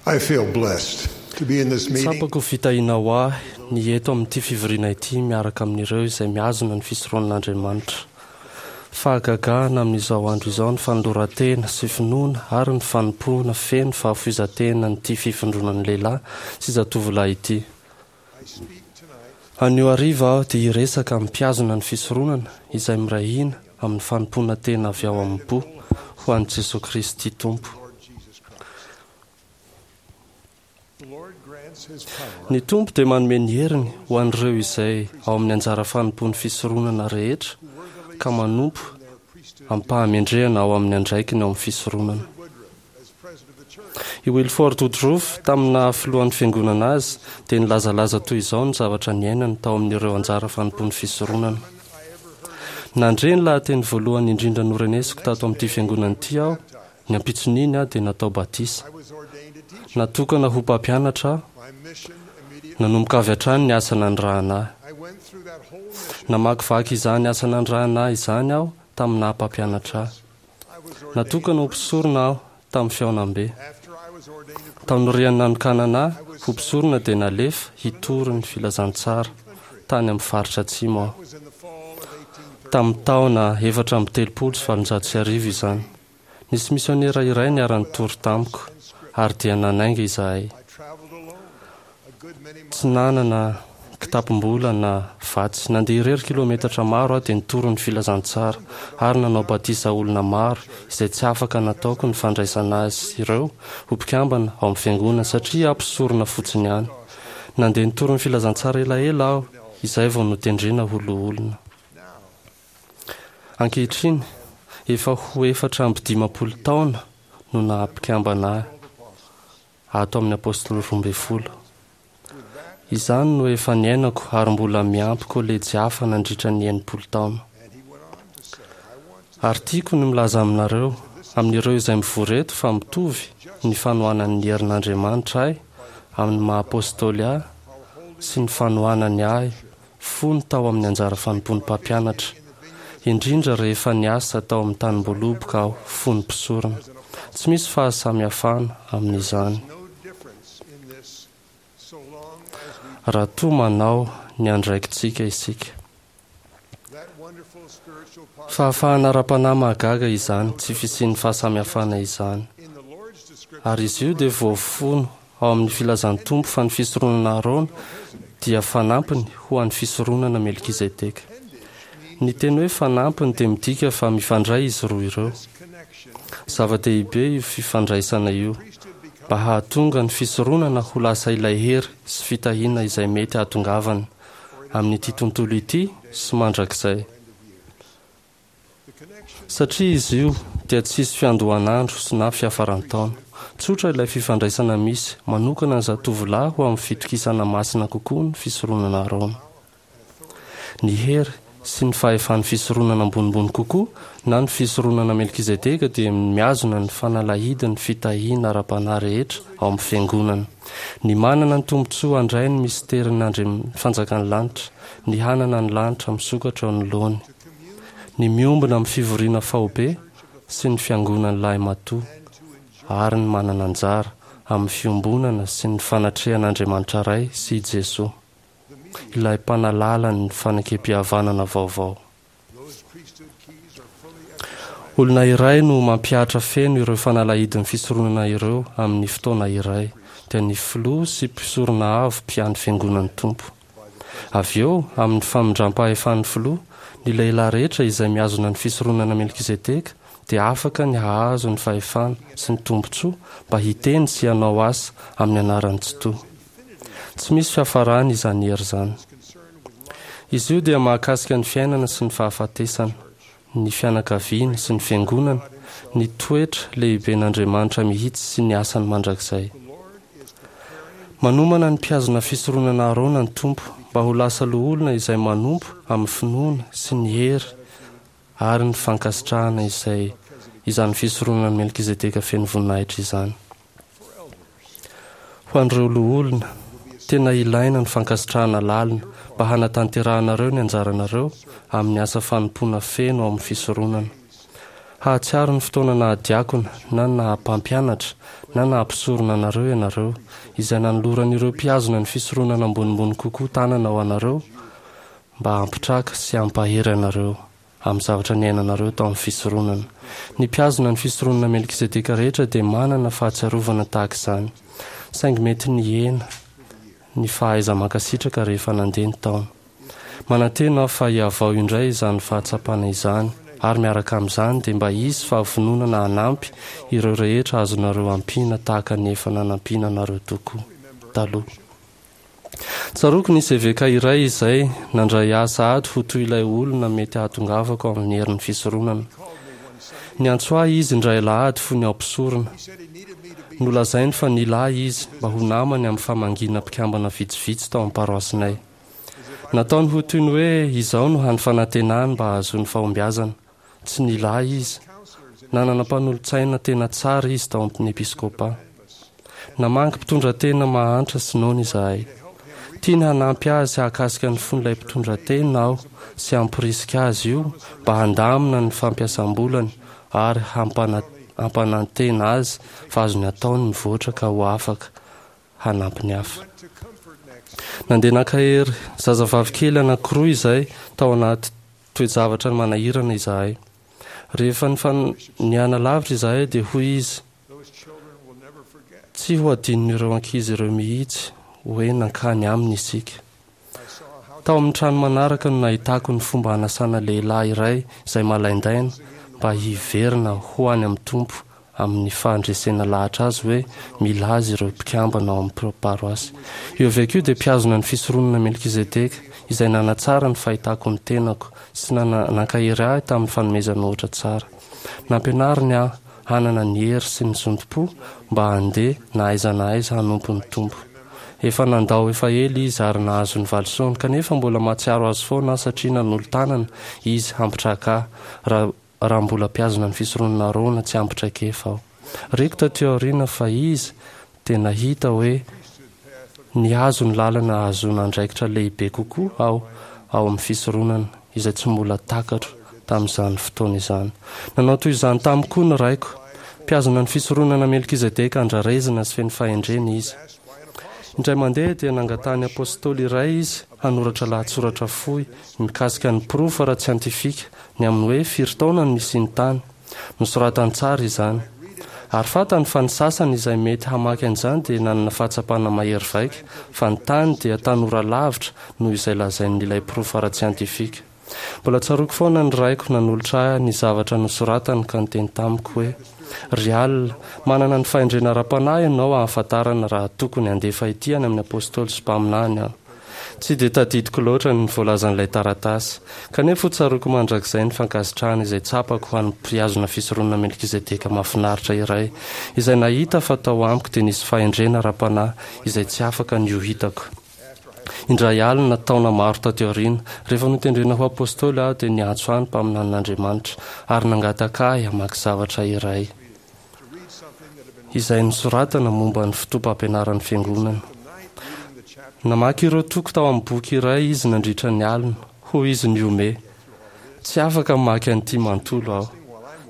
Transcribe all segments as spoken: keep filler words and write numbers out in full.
I feel blessed to be in this meeting. Tsapako fitahiana ho ahy ny eto amin'ity fivoriana ity miaraka amin'ireo izay mihazona ny fisoronan'Andriamanitra. Fahagagana amin'izao andro izao ny fanoloran-tena sy finoana ary ny fanompoana feno fahafoizan-tena n'ity fivondronan'ny lehilahy sy zatovolahy ity. Anio hariva aho dia hiresaka amin'ny mpihazona ny fisoronana izay miray hina amin'ny fanompoana tena avy ao am-po ho an'i Jesosy Kristy Tompo. Ny Tompo dia manome ny heriny ho an'ireo izay ao amin'ny anjara fanompoan'ny fisoronana rehetra ka manompo am-pahamendrehana ao amin'ny andraikiny ao amin'ny fisoronana. I Wilford Woodruff, tamina filohan'ny fiangonana azy, dia nilazalaza toy izao ny zavatra niainany tao amin'ireo anjara fanompoan'ny fisoronana. Nandre ny lahateny voalohany indrindra norenesiko tato amin'ity fiangonana ity aho, ny ampitson'iny aho dia natao batisa. Natokana ho mpampianatra aho, nanomboka avy hatrany ny asa nanirahana ahy. Namakivaky izany asa nanirahana ahy izany aho tamin'ny naha mpampianatra ahy. Natokana ho mpisorona aho tamin'ny fihaonambe. Taorian'ny nanokanana ahy ho mpisorona dia nalefa hitory ny filazantsara tany amin'ny faritra atsimo aho. Tamin'ny taona efatra amby telopolo sy valonjato sy arivo izany. Nisy misionera iray niara-nitory tamiko ary dia nanainga izahay. Tsy nanana kitapom-bola na vatsy. Nandeha irery kilometatra maro aho dia nitory ny filazantsara ary nanao batisa olona maro izay tsy afaka nataoko ny fandraisana azy ireo ho mpikambana ao amin'ny fiangonana satria aho mpisorona fotsiny ihany. Nandeha nitory ny filazantsara elaela aho izay vao notendrena ho loholona. Ankehitriny, efa ho efatra amby dimampolo taona no naha-mpikambana ahy ato amin'ny apôstôly roa ambin'ny folo. Izany no efa niainako ary mbola miampy kolejy hafa nandritra ny enimpolo taona. Ary tiako ny milaza aminareo, amin'ireo izay mivory eto fa mitovy ny fanohanan'ny herin'Andriamanitra ahy amin'ny maha-apôstôly ahy sy ny fanohanany ahy fony tao amin'ny anjara fanompoan'ny mpampianatra, indrindra rehefa niasa tao amin'ny tanim-boaloboka aho fony mpisorona. Tsy misy fahasamihafana amin'izany. Raha toa manao ny andraikitsika isika. Fahafahana ara-panahy mahagaga izany, tsy fisian'ny fahasamihafana izany. Ary izy io dia voafono ao amin'ny filazan'ny Tompo fa ny fisoronana Aharôna dia fanampiny ho an'ny fisoronana Melkizedeka. Ny teny hoe fanampiny dia midika fa mifandray izy roa ireo. Zava-dehibe io fifandraisana io mba hahatonga ny fisoronana ho lasa ilay hery sy fitahiana izay mety hahatongavana amin'ity tontolo ity sy mandrakizay. Satria izy io dia tsisy fiandohan'andro sy na fiafaran-taona. Tsotra ilay fifandraisana misy manokana ny zatovolahy ho amin'ny fitokisana masina kokoa ny fisoronana Aharôna. Ny hery sy ny fahefan'ny fisoronana ambonimbony kokoa na ny fisoronana Melkizedeka dia mihazona ny fanalahidin'ny fitahiana ara-panahy rehetra ao amin'ny fiangonana. Ny manana ny tombontsoa handray ny misterin'Andriamanitra fanjakan'ny lanitra, ny hanana ny lanitra misokatra eo anoloany, ny miombona amin'ny fivoriana faobe sy ny fiangonan'ny lahimatoa ary ny manana anjara amin'ny fiombonana sy ny fanatrehan'Andriamanitra Ray sy i Jesoa, ilay mpanalala ny fanekem-pihavanana vaovao. Olona iray no mampihatra feno ireo fanalahidin'ny fisoronana ireo amin'ny fotoana iray, dia ny filoha sy mpisorona avo mpiandry fiangonan'ny Tompo. Avy eo, amin'ny famindram-pahefan'ny filoha, ny lehilahy rehetra izay mihazona ny fisoronana Melkizedeka dia afaka ny hahazo ny fahefana sy ny tombontsoa mba hiteny sy hanao asa amin'ny anaran'ny Tsitoha. Tsy misy fiafarany izany hery izany. Izy io dia mahakasika ny fiainana sy ny fahafatesana, ny fianakaviana sy ny fiangonana, ny toetra lehiben'Andriamanitra mihitsy sy ny asany mandrakizay. Manomana ny mpihazona fisoronana Aharôna ny Tompo mba ho lasa loholona izay manompo amin'ny finoana sy ny hery ary ny fankasitrahana izay izany fisoronana Melkizedeka feno voninahitra izany. Ho an'ireo loholona, tena ilaina ny fankasitrahana lalina mba hanatanterahanareo ny anjaranareo amin'ny asa fanompoana feno ao amin'ny fisoronana. Hahatsiaro ny fotoana naha-diakona na naha-mpampianatra na naha-mpisorona anareo ianareo, izay nanoloran'ireo mpihazona ny fisoronana ambonimbony kokoa tanana ho anareo mba hampitraka sy hampahery anareo amin'ny zavatra niainanareo tao amin'ny fisoronana. Ny mpihazona ny fisoronana Melkizedeka rehetra dia manana fahatsiarovana tahaka izany, saingy mety nihena ny fahaiza-mankasitraka rehefa nandeha ny taona. Manantena aho fa hihavao indray izany fahatsapana izany, ary miaraka amin'izany dia mba hisy fahavononana hanampy ireo rehetra azonareo ampiana tahaka ny efa nanampiana anareo tokoa taloha. Tsaroako nisy eveka iray izay nandray ahy sahady ho toy ilay olona mety hahatongavako amin'ny herin'ny fisoronana. Niantso ahy izy indray alahady fony aho mpisorona. Nolazainy fa nila ahy izy mba ho namany amin'ny famangiana mpikambana vitsivitsy tao amin'ny paroasinay. Nataony ho toy ny hoe izao no hany fanantenany mba hahazoany fahombiazana. Tsy nila ahy izy. Nanana mpanolotsaina tena tsara izy tao amin'ny episkopa. Namangy mpitondra tena mahantra sy noana izahay. Tiany hanampy azy hahakasika ny fon'ilay mpitondra tena aho sy hamporisika azy io mba handamina ny fampiasam-bolany ary hampana- hampanantena azy fa azony atao ny mivoatra ka ho afaka hanampy ny hafa. Nandeha nankahery zazavavy kely anankiroa izay tao anaty toe-javatra manahirana izahay. Rehefa nifan- niana lavitra izahay dia hoy izy, Those children will never forget. tsy ho adinon'ireo ankizy ireo mihitsy hoe nankany aminy isika. I saw how Tao amin'ny trano manaraka no nahitako ny fomba hanasana lehilahy iray izay malaindaina mba hiverina ho any amin'ny Tompo amin'ny fahandresena lahatra azy hoe mila azy ireo mpikambana ao amin'ny paroasy. Io eveka io dia mpihazona ny fisoronana Melkizedeka izay nanatsara ny fahitako ny tenako sy nana- nankahery ahy tamin'ny fanomezana ohatra tsara. Nampianariny ahy hanana ny hery sy ny zotom-po mba handeha na aiza na aiza hanompo ny Tompo. Efa nandao efa ela izy ary nahazo ny valisoany, kanefa mbola mahatsiaro azy foana aho satria nanolo-tanana izy hampitraka ahy raha raha mbola mpihazona ny fisoronana Arona tsy ampy traikefa aho. Reko taty aoriana fa izy dia nahita hoe nihazo ny lalana ahazoana andraikitra lehibe kokoa aho ao amin'ny fisoronana izay tsy mbola takatro tamin'izany fotoana izany. Nanao toy izany tamiko koa ny raiko. Mpihazona ny fisoronana Melkizedeka andrarezina sy feno fahendrena izy. Indray mandeha dia nangatahany apôstôly iray izy hanoratra lahatsoratra fohy mikasika ny porofo ara-tsiantifika ny amin'ny hoe firy taona no nisian'ny tany. Nosoratany tsara izany. Ary fantany fa ny sasany izay mety hamaky an'izany dia nanana fahatsapana mahery vaika fa ny tany dia tanora lavitra noho izay lazain'ilay porofo ara-tsiantifika. Mbola tsaroako foana ny raiko nanolotra ahy ny zavatra nosoratany ka niteny tamiko hoe: "Ry Al, manana ny fahendrena ara-panahy ianao ahafantarana raha tokony handefa ity any amin'ny apôstôly sy mpaminany aho." Tsy dia tadidiko loatra ny voalazan'ilay taratasy, kanefa ho tsaroako mandrakizay ny fankasitrahana izay tsapako ho an'ny mpihazona fisoronana Melkizedeka mahafinaritra iray, izay nahita fa tao amiko dia nisy fahendrena ara-panahy izay tsy afaka ny ho hitako. Indray alina taona maro taty aoriana, rehefa notendrena ho apôstôly aho dia niantso ahy ny mpaminanin'Andriamanitra ary nangataka ahy hamaky zavatra iray to read something that had been izay nosoratana momba ny fotoam-pampianaran'ny fiangonana. the night reading the chapter Namaky ireo toko tao amin'ny boky iray izy nandritra ny alina. Hoy izy nihomehy: "Tsy afaka mamaky an'ity manontolo aho.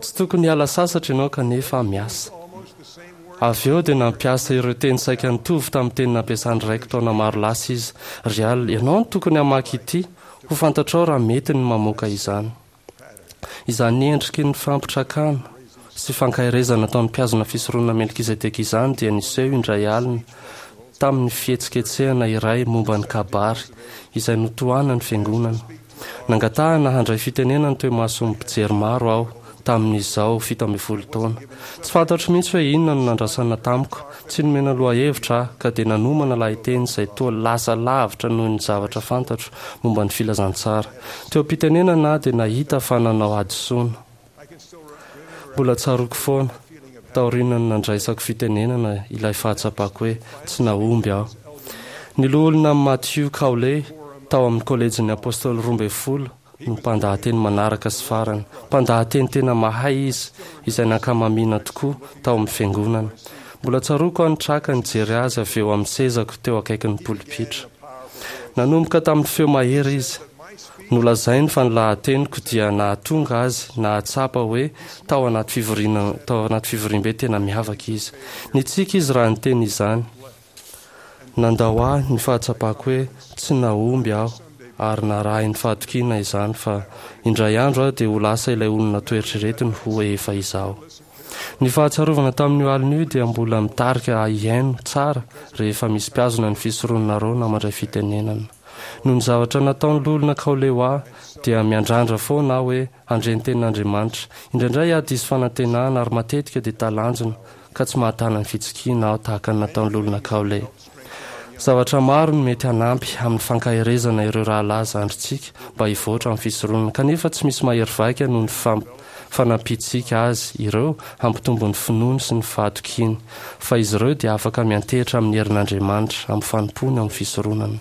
Tsy tokony hiala sasatra ianao kanefa miasa." almost the same words Avy eo dia nampiasa ireo teny saika nitovy tamin'ny teny nampiasan'ny raiko taona maro lasa izy. "Ry Al, ianao no tokony hamaky ity. Ho fantatrao raha mety ny mamoaka izany." Izany endriky ny fampitrakana sy fankaherezana ataon'ny mpihazona fisoronana Melkizedeka izany dia niseho indray alina tamin'ny fihetsiketsehana iray momba ny kabary izay notohanan'ny fiangonana. Nangatahana handray fitenenana teo imason'ny mpijery maro aho tamin'izao fito ambin'ny folo taona. Tsy fantatro mihitsy hoe inona no nandrasana tamiko. Tsy nomena lohahevitra aho ka dia nanomana lahateny izay toa lasa lavitra noho ny zavatra fantatro momba ny filazantsara. Teo am-pitenenana aho dia nahita fa nanao hadisoana. I can still remember Mbola tsaroako foana taorian'ny nandraisako fitenenana ilay fahatsapako hoe tsy nahomby aho. Ny loholona Matthew Cowley tao amin'ny kolejin'ny apôstôly roa ambin'ny folo no mpandahateny manaraka sy farany. Mpandahateny tena mahay izy izay nankamamiana tokoa tao amin'ny fiangonana. Mbola tsaroako aho nitraka nijery azy avy eo amin'ny sezako teo akaikin'ny polipitra. Nanomboka tamin'ny feo mahery izy. Nolazainy fa ny lahateniko dia nahatonga azy nahatsapa hoe tao anaty fivoriana tao anaty fivoriambe tena miavaka izy. Nitsiky izy raha niteny izany. Nandao ahy ny fahatsapako hoe tsy nahomby aho ary narahin'ny fahatokiana izany fa indray andro aho dia ho lasa ilay olona noeritreretiny ho efa izaho. Ny fahatsiarovana tamin'io alina io dia mbola mitarika ahy hihaino tsara rehefa misy mpihazona ny fisoronana Arona mandray fitenenana. Noho ny zavatra nataon'ny loholona Cowley ho ahy dia miandrandra foana aho hoe handre ny tenin'Andriamanitra. Indraindray aho diso fanantenana ary matetika dia talanjona ka tsy mahatana ny fitsikiana aho tahaka ny nataon'ny loholona Cowley. Zavatra maro no mety hanampy amin'ny fankaherezana ireo rahalahy zandrintsika mba hivoatra amin'ny fisoronana, kanefa tsy misy mahery vaika noho ny fanampiantsika azy ireo hampitombo ny finoany sy ny fahatokiany, fa izy ireo dia afaka miantehitra amin'ny herin'Andriamanitra amin'ny fanompoany amin'ny fisoronana.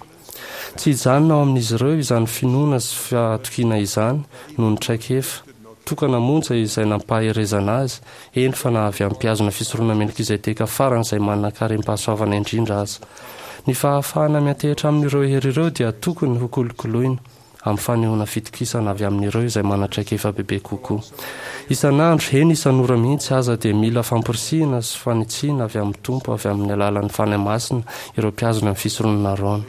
Tsy hijanona ao amin'izy ireo izany finoana sy fahatokiana izany noho ny traikefa tokana monja izay nampaherezana azy, eny fa na avy amin'ny mpihazona fisoronana Melkizedeka faran'izay manan-karem-pahasoavana indrindra aza. Ny fahafahana miantehitra amin'ireo hery ireo dia tokony ho kolokoloina amin'ny fanehoana fitokisana avy amin'ireo izay manan-traikefa bebe kokoa. Isan'andro, eny isan'ora mihitsy aza, dia mila famporisihina sy fanitsiana avy amin'ny Tompo avy amin'ny alalan'ny Fanahy Masina ireo mpihazona ny fisoronana Arona.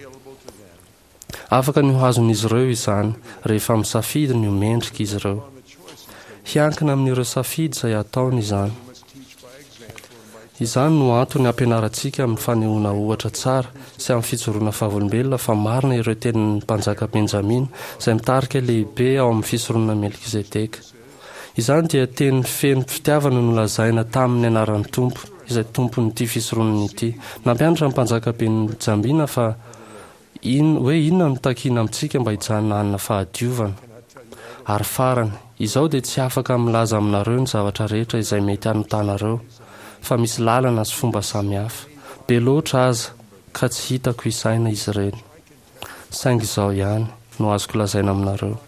Afaka ny ho azon'izy ireo izany rehefa misafidy ny ho mendrika izy ireo. Hiankina amin'ireo safidy izay ataony izany. Izany no antony ampianarantsika amin'ny fanehoana ohatra tsara sy amin'ny fijoroana vavolombelona fa marina ireo tenin'ny mpanjaka Benjamina izay mitarika lehibe ao amin'ny fisoronana Melkizedeka. Izany dia teny feno fitiavana nolazaina tamin'ny anaran'ny Tompo, izay tompon'ity fisoronana ity. Nampianatra ny mpanjaka Benjamina fa in, hoe inona no takiana amintsika mba hijanona hanana fahadiovana. Ary farany, izaho dia tsy afaka milaza aminareo ny zavatra rehetra izay mety hanotanareo, fa misy lalana sy fomba samihafa. Be loatra aza ka tsy hitako isaina izy ireny. Saingy izao ihany no azoko lazaina aminareo.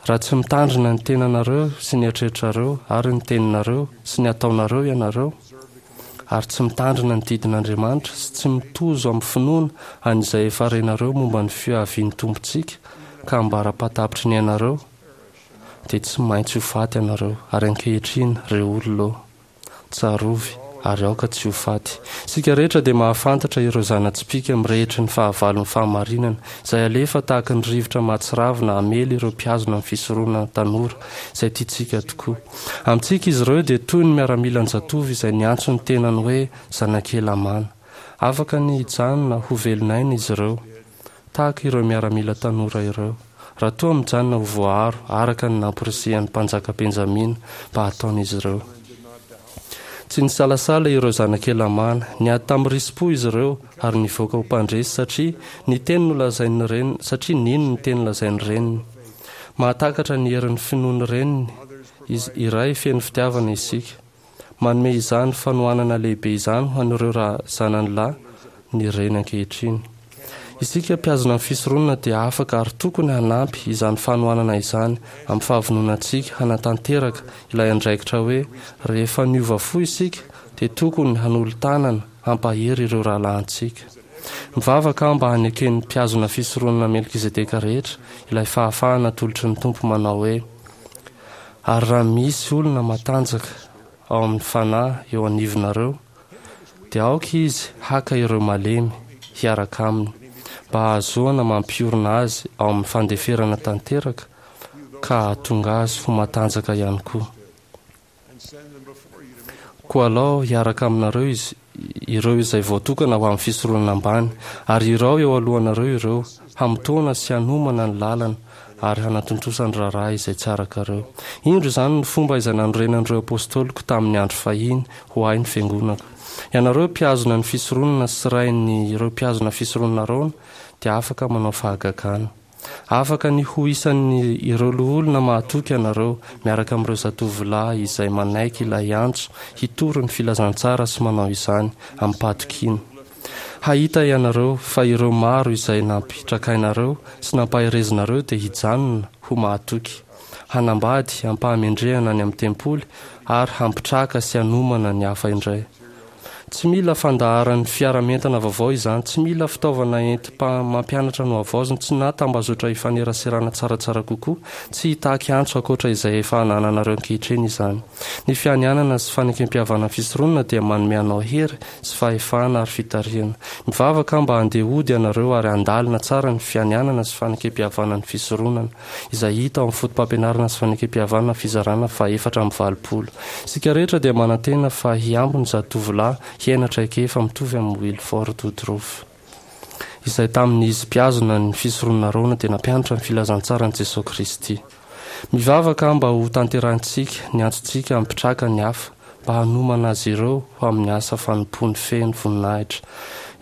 Raha tsy mitandrina ny tenanareo sy ny eritreritrareo ary ny teninareo sy ny ataonareo ianareo, ary tsy mitandrina ny didin'Andriamanitra sy tsy mitozo amin'ny finoana an'izay efa renareo momba ny fiavian'ny Tompontsika ka ambara-pahatapitry ny ainareo, dia tsy maintsy ho faty ianareo. Ary ankehitriny, ry olona ô, tsarovy ary aoka tsy ho faty. Isika rehetra dia mahafantatra ireo zana-tsipìka mirehitry ny fahavalon'ny fahamarinana, izay alefa tahaka ny rivotra mahatsiravina hamely ireo mpihazona ny fisoronana tanora izay tiantsika tokoa. Amintsika izy ireo dia toy ny miaramilan-jatovo izay niantso ny tenany hoe zanak'i Helamàna. Afaka ny hijanona ho velon'aina izy ireo, tahaka ireo miaramila tanora ireo, raha toa mijanona ho voaaro araka ny namporisihan'ny mpanjaka Benjamina mba hataon'izy ireo. Tsy nisalasala ireo zanak'i Helamàna. Niady tamin'ny risi-po izy ireo ary nivoaka ho mpandresy satria ny teny nolazain'ny reniny, satria nino ny teny nolazain'ny reniny. Mahatakatra ny herin'ny finoan'ny reniny izy iray feno fitiavana isika. Manome izany fanohanana lehibe izany ho an'ireo raha zanany lahy ny reny ankehitriny. Isika mpihazona ny fisoronana dia afaka ary tokony hanampy izany fanohanana izany amin'ny fahavononantsika hanatanteraka ilay andraikitra hoe rehefa niova fo isika dia tokony hanolo-tanana hampahery ireo rahalahintsika. Mivavaka aho mba haneken'ny mpihazona fisoronana Melkizedeka rehetra ilay fahafahana atolotry ny Tompo manao hoe: Ary raha misy olona matanjaka ao amin'ny fanahy eo anivonareo, dia aoka izy haka ireo malemy hiaraka aminy, mba hahazoana mampiorina azy ao amin'ny fandeferana tanteraka ka hahatonga azy ho matanjaka ihany koa. Koa alao hiaraka aminareo izy ireo izay voatokana ho amin'ny fisoronana ambany, ary irao eo alohanareo ireo, hamotoana sy hanomana ny lalana ary hanatontosa ny raharaha izay tsy arakareo. Indro izany ny fomba izay nanorenan'ireo apôstôliko tamin'ny andro fahiny ho ahy ny fiangonako. Ianareo mpihazona ny fisoronana sy rain'ny ireo mpihazona fisoronana Arona dia afaka manao fahagagana. Afaka ny ho isan'ny ireo loholona mahatoky ianareo miaraka amin'ireo zatovolahy izay manaiky ilay antso hitory ny filazantsara sy manao izany amim-pahatokiana. Hahita ianareo fa ireo maro izay nampitrakainareo sy nampaherezinareo dia hijanona ho mahatoky, hanambady am-pahamendrehana any amin'ny tempoly ary hampitraka sy hanomana ny hafa indray. Tsy mila fandaharan'ny fiara-mientana vaovao izany, tsy mila fitaovana enti-mampianatra nohavaozina, tsy na tambazotra ifaneraserana tsaratsara kokoa, tsy hitaky antso ankoatra izay efa anananareo ankehitriny izany. Ny fianianana sy fanekempihavanana fisoronana dia manome anao hery sy fahefana ary fitarihana. Mivavaka mba handeha hody ianareo ary handalina tsara ny fianianana sy fanekempihavanana fisoronana izay hita ao amin'ny foto-pampianarana sy fanekempihavanana fizarana fahaefatra amby valopolo. Isika rehetra dia manantena fa hiampy ny zatovolahy hiaina traikefa mitovy amin'ny Wilford Woodruff, izay tamin'izy mpihazona ny fisoronana Aharôna dia nampianatra ny filazantsaran'i Jesosy Kristy. Mivavaka mba ho tanterahintsika ny antsontsika hampitraka ny hafa mba hanomana azy ireo ho amin'ny asa fanompoany feno voninahitra.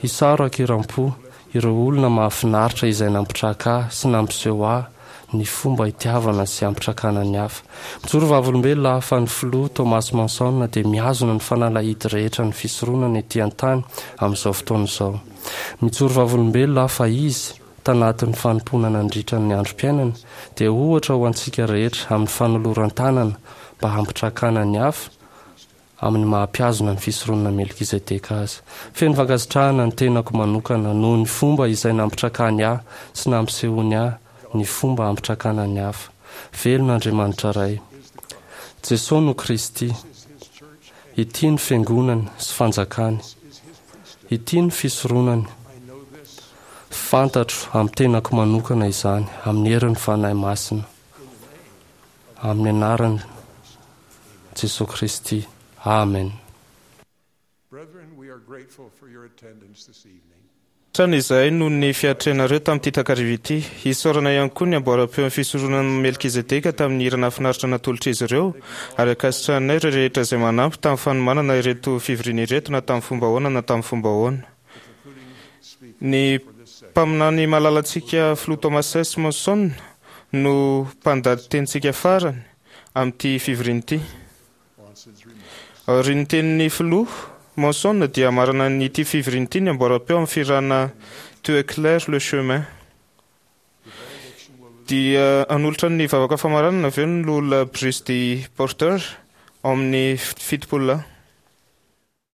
Isaorako an-kerim-po ireo olona mahafinaritra izay nampitraka ahy sy nampiseho ahy ny fomba hitiavana sy hampitrakana ny hafa. Mijoro vavolombelona aho fa ny filoha Thomas Monson dia mihazona ny fanalahidy rehetra ny fisoronana ety an-tany amin'izao fotoana izao. Mijoro vavolombelona aho fa izy tanatin'ny fanompoana nandritra ny androm-piainana dia ohatra ho antsika rehetra amin'ny fanoloran-tanana mba hampitrakana ny hafa amin'ny maha-mpihazona ny fisoronana Melkizedeka azy. Feno fankasitrahana ny tenako manokana noho ny fomba izay nampitrakany ahy sy nampisehoany ahy ny fomba hampitrakana ny hafa. Velona Andriamanitra Ray. Jesosy no Kristy. Ity ny fiangonany sy fanjakany. Ity ny fisoronany. Fantatro amin'ny tenako manokana izany amin'ny herin'ny Fanahy Masina. Amin'ny anaran'i Jesosy Kristy. Amen. Brethren, we are grateful for your attendance this evening. Trano izay noho ny fiatrehanareo tamin'ity takariva ity. Isaorana ihany koa ny amboaram-peon'ny fisoronana Melkizedeka tamin'ny hira nahafinaritra natolotra izy ireo, ary ankasitrahanay ireo rehetra izay manampy tamin'ny fanomanana ireto fivoriana ireto na tamin'ny fomba ahoana na tamin'ny fomba ahoana. Ny mpaminany malalantsika filoha Thomas S. Monson no mpandahatenintsika farany amin'ity fivoriana ity. Aorian'ny tenin'ny filoha Monson dia marana ny ity fivoriana ity ny amboaram-peo amin'ny fihirana Tu éclaires le chemin. Dia hanolotra ny vavaka famaranana avy eo ny loholona Bruce D. Porter ao amin'ny fitopolo lahy.